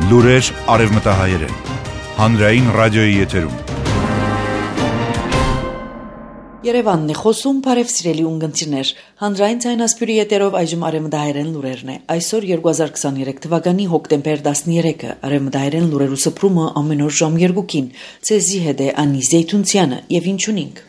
Լուրեր արևմտահայերեն, հանրային ռադիոյի եթերում։ Երևանն է խոսում, բարև սիրելի ունգընտիրներ, հանրային ցայնասպյուրի եթերով այժմ արևմտահայերեն լուրերն է։ Այսօր 2023 թվականի հոկտեմբեր 13-ը, արևմտահայերեն լուրերու սփռումը ամեն օր ժամ 2-ին, ցեզի հետ է Անի Զեյթունցյանը եւ ինչունինք։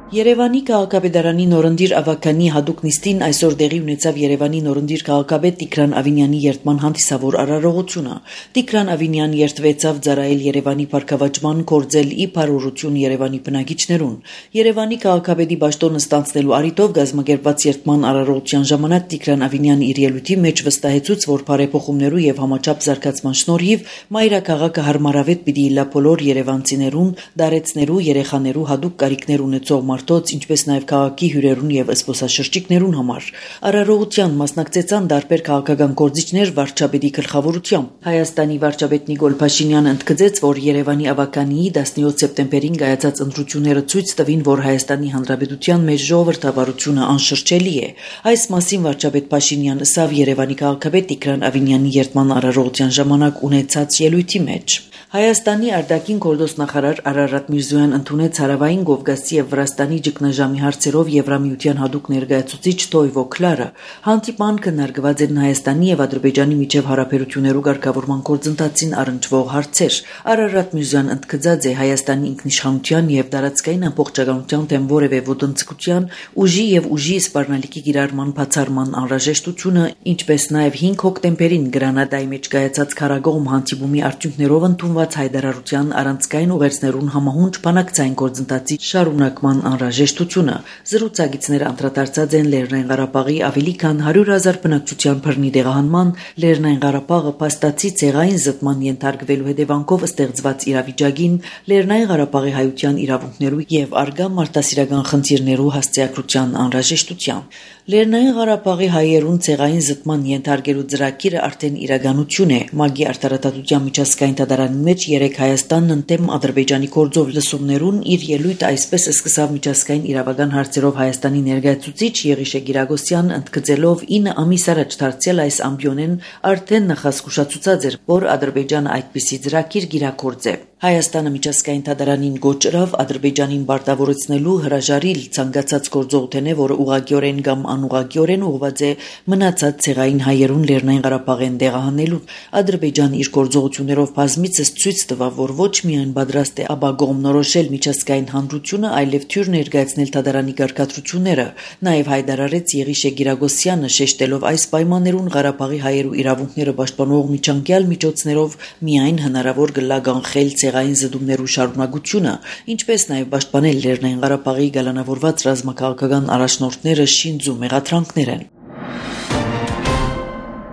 Երևանի քաղաքապետարանի նորընտիր ավագանի հատուկ նիստին այսօր տեղի ունեցավ Երևանի նորընտիր քաղաքապետ Տիգրան Ավինյանի երդման հանդիսավոր արարողությունը։ Տիգրան Ավինյանը երդվեցավ ծառայել Երևանի փառքավաճման, կորձել ի բարօրություն Երևանի բնակիչներուն։ Երևանի քաղաքապետի պաշտոնը ստանձնելու առիթով գազմագերբված երդման արարողության ժամանակ Տիգրան Ավինյանը իր ելույթի մեջ վստահեցուց, որ բարեփոխումներու եւ համաչափ զարգացման շնորհիվ մայրաքաղաքը հարմարավետ պիտի լա բոլոր երևանցիներուն, դարեցներու, երեխաներու հատուկ կարիքներ ունեցող ինչպես նաև քաղաքի հյուրերուն եւ զբոսաշրջիկներուն համար։ Արարողության մասնակցեցան դարբեր քաղաքական գործիչներ վարչապետի գլխավորությամբ։ Հայաստանի վարչապետ Նիկոլ Փաշինյանը ընդգծեց, որ Երևանի ավականիի 17 սեպտեմբերին կայացած ընտրությունները ցույց տվին, որ Հայաստանի Հանրապետության մեջ ժողովրդավարությունը անշրջելի է։ Այս մասին վարչապետ Փաշինյանը ասավ Երևանի քաղաքապետ Տիգրան Ավինյանի երդման արարողության ժամանակ ունեցած ելույթի մեջ։ Հայաստանի արտաքին գործոստ նախարար Արարատ Միրզոյան ընդունեց Հարավային Կովկասի եւ Վրաստանի ճգնաժամի հարցերով Եվրամիության հատուկ ներկայացուցիչ Տոյվո Քլարը։ Հանդիպան քննարկված են Հայաստանի եւ Ադրբեջանի միջև հարաբերություններու ղեկավարման գործընթացին առնչվող հարցեր։ Արարատ Միրզոյան ընդգծած է Հայաստանի ինքնիշխանության եւ տարածքային ամբողջականության դեմ որևէ ոտնձգության, ուժի եւ ուժի սպառնալիքի գիրառման բացառման անհրաժեշտությունը, ինչպես նաեւ 5 հոկտեմբերին Գրանադայի մեջ կայացած քարագոհում հանդիպումի արդյունքներով ընդունված հայտարարության առանցքային ուղերձներուն համահունչ բանակցային գործընթացի շարունակման անհրաժեշտությունը։ Զրուցակիցները անդրադարձած են Լեռնային Ղարաբաղի ավելի քան 100,000 բնակչության բռնի տեղահանման, Լեռնային Ղարաբաղը փաստացի ցեղային զտման ենթարկվելու հետևանքով ստեղծված իրավիճակին, Լեռնային Ղարաբաղի հայության իրավունքներու եւ արգա մարդասիրական խնդիրներու հասցեակրության անհրաժեշտության։ Լեռնային Ղարաբաղի հայերուն ցեղային զտման ենթարկելու ծրագիրը արդեն իրականություն է։ ՄԱԳ-ի արտարադատության միջազգային դատարանի մեջ 3 Հայաստանն ընդդեմ Ադրբեջանի գործով լսումներուն իր ելույթ այսպես սկսավ միջազգային իրավական հարցերով Հայաստանի ներկայացուցիչ Եղիշե Գիրագոսյան, ընդգծելով 9 ամիս առաջ դարձյալ այս ամբիոնեն արդեն նախազգուշացուցած էր, որ Ադրբեջանը այդպիսի ծրագիր կիրագործե։ Հայաստանը միջազգային դատարանին գոչրավ Ադրբեջանին բարտավորեցնելու հրաժարիլ ցանկացած գործողութենե, որը ուղղակիորեն կամ անուղղակիորեն ուղղված է մնացած ցեղային հայերուն Լեռնային Ղարաբաղեն տեղահանելու։ Ադրբեջանը իր գործողություններով բազմիցս ցույց տվավ, որ ոչ միայն պատրաստ է ապագողմնորոշել միջազգային հանրությունը, այլև թյուր ներկայացնել դատարանի կարգադրությունները։ Նաև հայտարարեց Եղիշե Գիրագոսյանը, շեշտելով այս պայմաններուն Ղարաբաղի հայերու իրավունքները պաշտպանող միջանկյալ միջոցներով միայն հնարավոր կլա կանխել ցեղային զդումներու շարունակությունը, ինչպես նաև պաշտպանել Լեռնային Ղարաբաղի գալանավորված ռազմաքաղաքական առաջնորդները շինձու մեղադրանքներ են։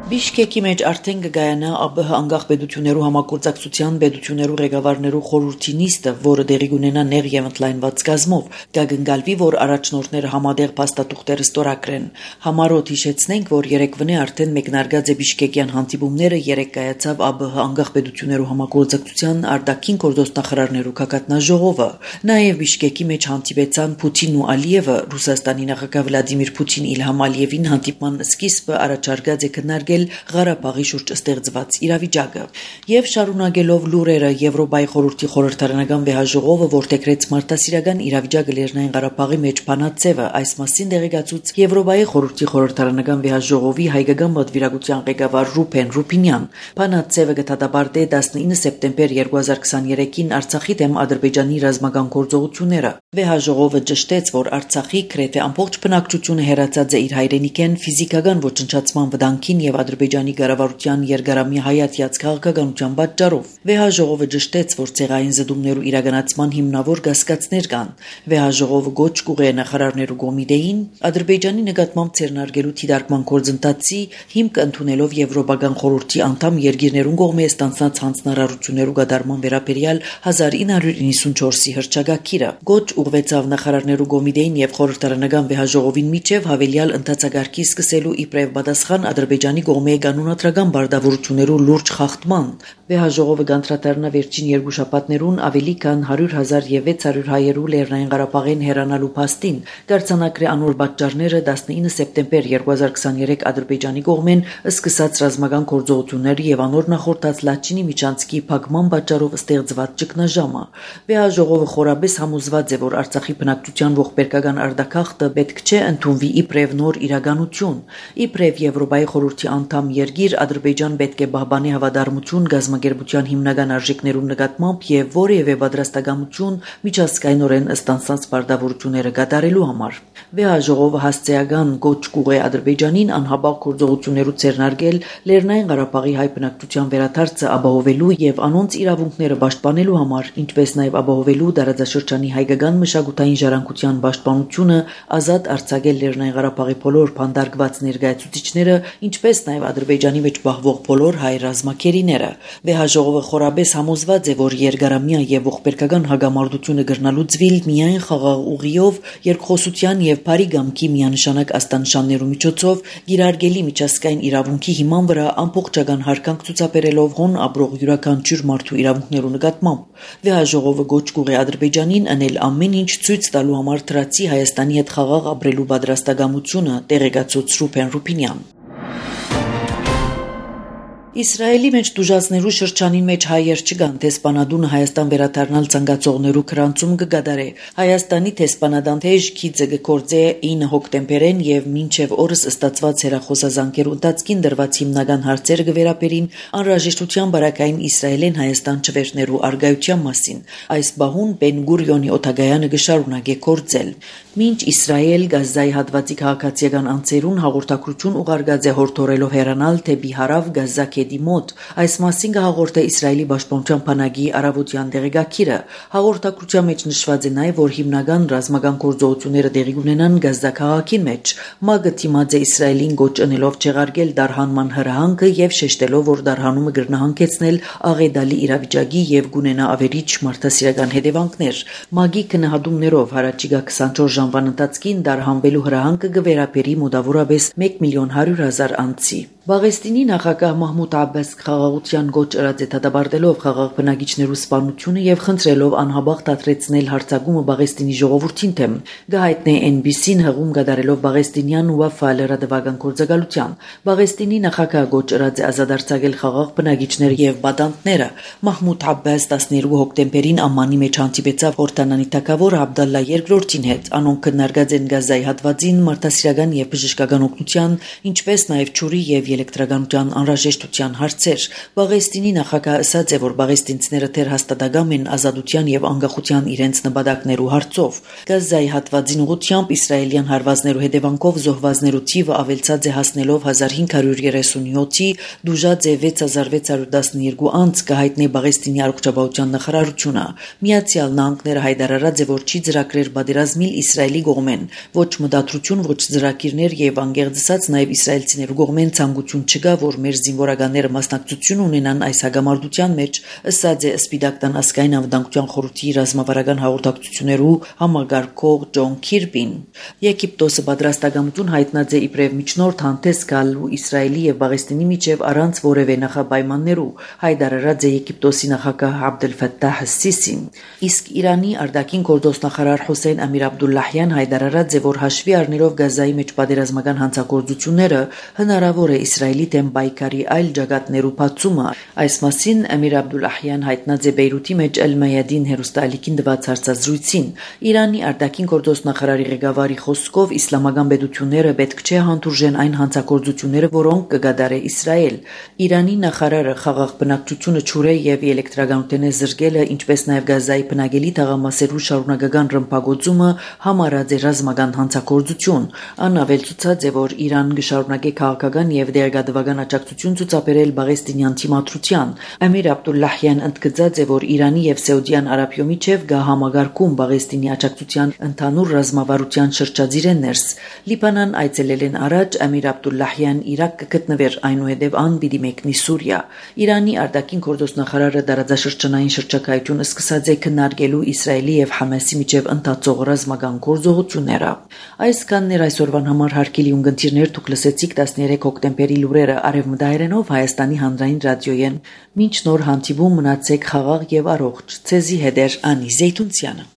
Բիշկեկի մեջ արդեն կգայանա ԱԲՀ անկախ պետություններու համագործակցության պետություններու ղեկավարներու խորհրդի նիստը, որը տեղի կունենա նեղ եւ ընդլայնված կազմով, կգնգալվի, որ առաջնորդները համատեղ փաստաթուղթեր ստորագրեն։ Համառոտ հիշեցնենք, որ երեկվնե արդեն մեկնարկած է Բիշկեկյան հանդիպումները, երեք կայացավ ԱԲՀ անկախ պետություններու համագործակցության արտաքին գործոստնախարարներու կակատնաժողովը։ Նաեւ Բիշկեկի մեջ հանդիպեցան Պուտինն ու Ալիևը, Ռուսաստանի նախագահ Վլադիմիր Պուտին Իլհամ Ալիևին հանդիպման սկիզբը առաջարկած է քննարկել Ղարաբաղի շուրջ ստեղծված իրավիճակը եւ շարունակելով լուրերը Եվրոպայի խորհրդի խորհրդարանական վեհաժողովը որտեղրեց մարդասիրական իրավիճակը Լեռնային Ղարաբաղի մեջ Փանացևը այս մասին դեղեկացուց Եվրոպայի խորհրդի խորհրդարանական վեհաժողովի հայկական պատվիրակության ղեկավար Ռուփեն Ռուփինյան։ Փանացևը կդատապարտե 19 սեպտեմբեր 2023-ին Արցախի դեմ Ադրբեջանի ռազմական գործողությունները։ Վեհաժողովը ճշտեց, որ Արցախի գրեթե ամբողջ բնակչությունը հեռացած է իր հայրենիքեն ֆիզիկական ոչնչացման վտանգին եւ Ադրբեջանի կառավարության երկարամյա հայացած քաղաքականության պատճառով։ Վեհաժողովը ճշտեց, որ ցեղային զդումներու իրականացման հիմնավոր կասկածներ կան։ Վեհաժողովը գոչ կուղե նախարարներու կոմիտեին Ադրբեջանի նկատմամբ ցերնարգելու թիդարկման գործընթացի հիմք ընդունելով Եվրոպական խորհրդի անդամ երկիրներուն կողմէ ստանցած հանձնարարություններու կատարման վերաբերյալ 1994-ի հռչակագիրը։ Գոչ ուղղվեցավ նախարարներու կոմիտեին եւ խորհրդարանական վեհաժողովին միջև հավելյալ ընդհանցագարքի սկսելու իբրև պատասխան Ադրբեջանի կողմի կանոնադրական բարդավորություններու լուրջ խախտման։ Վեհաժողովը գանտրատարնա վերջին երկու շաբաթներուն ավելի քան 100,000 եւ 600 հայերու Լեռնային Ղարաբաղին հեռանալու փաստին կարգանակրի անոր պատճառները 19 սեպտեմբեր 2023 Ադրբեջանի կողմեն սկսած ռազմական գործողություններ եւ անոր նախորդած Լաչինի միջանցքի փակման պատճառով ստեղծված ճգնաժամը։ Վեհաժողովը խորաբես համոզված է, որ Արցախի բնակչության ողբերգական արտակախտը պետք չէ ընդունվի իբրև նոր իրականություն։ Իբրև Եվրոպայի խորհրդի անդամ երկիր Ադրբեջան պետք է պահպանի հավատարմություն գազམ་ագերբության հիմնական արժեքներուն նկատմամբ եւ որևէ պատրաստակամություն միջազգայինորեն ստանցած բարդավորությունները կատարելու համար։ Վեհաժողովը հասցեական գոչ կուղե Ադրբեջանին անհաբաղ գործողություններու ցերնարգել Լեռնային Ղարաբաղի հայ բնակչության վերադարձը ապահովելու եւ անոնց իրավունքները պաշտպանելու համար, ինչպես նաեւ ապահովելու դարաձաշրջանի հայկական մշակութային ժառանգության պաշտպանությունը, ազատ արձակել Լեռնային Ղարաբաղի բոլոր փանդարգված ներկայացուցիչները, ինչպես նաեւ Ադրբեջանի մեջ պահվող բոլոր հայ ռազմակերիները։ Վեհաժողովը խորաբես համոզված է, որ երկարամյա եւ ողբերգական հագամարտությունը կրնալուծվիլ միայն խաղաղ ուղիով, երկխոսության եւ բարի գամքի միանշանակ աստանշաններու միջոցով, գիրարգելի միջազգային իրավունքի հիման վրա ամբողջական հարկանք ցուցաբերելով հոն ապրող յուրաքանչյուր մարդու իրավունքներու նկատմամբ։ Վեհաժողովը գոչ կուղի Ադրբեջանին անել ամեն ինչ ցույց տալու համար դրացի Հայաստանի հետ խաղաղ ապրելու պատրաստակամությունը, տեղեկացուց Ռուբեն Ռուբինյան։ Իսրայելի մեջ դուժացներու շրջանին մեջ հայեր չկան, տեսփանադունը Հայաստան վերադառնալ ցանկացողներու քրանցում կգադարե։ Հայաստանի տեսփանադան թեժ քիծը գործե 9 հոկտեմբերին եւ մինչեւ օրս ստացված հերախոսազանգերու ընթացքին դրված հիմնական հարցերը կվերապերին անհրաժեշտության բարակային Իսրայելեն Հայաստան չվերներու արգայության մասին։ Այս բահուն Բեն-Գուրիոնի օթագայանը կշարունակե գործել։ Մինչ Իսրայել Գազայի հատվածի քաղաքացիական անձերուն հաղորդակցություն ուղարկած է հորդորելով հեռանալ թեպի հարավ Գազա մոտ, այս մասին կհաղորդե Իսրայելի պաշտպանության բանակի առավոտյան տեղեկագիրը։ Հաղորդակցության մեջ նշված է նաև, որ հիմնական ռազմական գործողությունները տեղի կունենան Գազա քաղաքին մեջ։ ՄԱԳ-ը դիմաց է Իսրայելին գոչ ընելով չեղարկել դարհանման հրահանգը եւ շեշտելով, որ դարհանումը կրնահանգեցնել աղետալի իրավիճակի եւ կունենա ավերիչ մարդասիրական հետևանքներ։ ՄԱԳ-ի քննադումներով հարաճիգա 24 ժամվան ընթացքին դարհանվելու հրահանգը կվերապերի մոտավորապես 1,100,000 անձի։ Բաղեստինի նախագահ Մահմուդ Աբբաս խաղաղության գոչ ըրած է դատաբարտելով խաղաղ բնակիչներու սպանությունը եւ խնդրելով անհաբաղ դադրեցնել հարձակումը Բաղեստինի ժողովրդին դեմ։ Գահիտնե NBC-ն հղում կատարելով Բաղեստինյան Ուաֆա լրատվական գործակալության։ Բաղեստինի նախագահ գոչ ըրած է ազատ արձակել խաղաղ բնակիչներ եւ բադանտները։ Մահմուդ Աբբաս 12 հոկտեմբերին Ամմանի մեջ հանդիպեցավ Հորդանանի թագավոր Աբդալլա II-ին հետ։ Անոնք քննարկած են Գազայի հատվածին մարդասիրական եւ բժշկական օգնության, ինչպես նաեւ ջուրի եւ էլեկտրականության անհրաժեշտության հարցեր։ Բաղեստինի նախագահը ասաց է, որ բաղեստինցիները դեռ հաստատակամ են ազատության եւ անկախության իրենց նպատակներու հարցով։ Գազայի հատվածին ուղղությամբ իսրայելյան հարվածներու հետևանքով զոհվածներու թիվը ավելցած է հասնելով 1537-ի, դուժած է 6612 անձ, կհայտնի Բաղեստինի առողջապահության նախարարությունը։ Միացյալ Նահանգները հայտարարած է, որ չի ծրագրեր պատերազմիլ Իսրայելի կողմեն, ոչ մտադրություն, ոչ ծրագիրներ եւ անգեղծած նաեւ իսրայելցիներու կողմեն ցանկություն չկա, որ մեր զինվորականները մասնակցություն ունենան այս հագամարտության մեջ, ըստ է Սպիտակ տան ազգային անվտանգության խորհրդի ռազմավարական հաղորդակցություններու համագարկող Ջոն Քիրբին։ Եգիպտոսը պատրաստակամություն հայտնած է իբրև միջնորդ հանդես գալու Իսրայելի եւ Բաղեստինի միջև առանց որևէ նախապայմաններու, հայտարարած է Եգիպտոսի նախագահ Աբդել Ֆաթահ Սիսին։ Իսկ Իրանի արտաքին գործոստնախարար Հոսեյն Ամիր Աբդուլլահյան հայտարարած է, որ հաշվի առնելով Գազայի մեջ պատերազմական հանցագործությունները հնարավոր է Իսրայելի դեմ պայքարի այլ ջագատներու բացումը։ Այս մասին Ամիր Աբդուլլահյան հայտնած է Բեյրութի մեջ Էլ-Մայադին հերոստալիկին տված հարցազրույցին։ Իրանի արտաքին գործոստնախարարի ղեկավարի խոսքով իսլամական պետությունները պետք չէ հանդուրժեն այն հանցագործությունները, որոնք կգադարե Իսրայել։ Իրանի նախարարը խաղաղ բնակչությունը ջուրե եւ էլեկտրականության զրկելը, ինչպես նաեւ Գազայի բնակելի թաղամասերու շարունակական ռմբակոծումը համարած է ռազմական հանցագործություն։ Անավելցուցած է, որ Իրան կշարունակի քաղաքական եւ դերգադվական աջակցություն ցուցաբերել Բաղեստինյան թիմադրության։ Ամիր Աբդուլլահյան ընդգծած է, որ Իրանի եւ Սաուդյան Արաբիայի միջև գա համագարկում Բաղեստինի աջակցության ընդհանուր ռազմավարության շրջածիրեն ներս։ Լիբանան այցելել են առաջ Ամիր Աբդուլլահյան Իրաք կգտնվեր, այնուհետև ան պիտի մեկնի Սուրիա։ Իրանի արտաքին գործոստնախարարը դարաձաշրջանային շրջակայություն սկսած է քննարկելու Իսրայելի եւ Համասի միջև ընթացող ռազմական գործողությունները։ Այս կաններ այսօրվան համար հարկելի ունգընտիրներ դուք լսեցիք 13 հոկտեմբերի թեթևերի լուրերը արևմտահայերենով Հայաստանի հանրային ռադիոյեն։ Մինչ նոր հանդիպում մնացեք խաղաղ եւ առողջ։ Ցեզի հետ է Անի Զեյթունցյանը։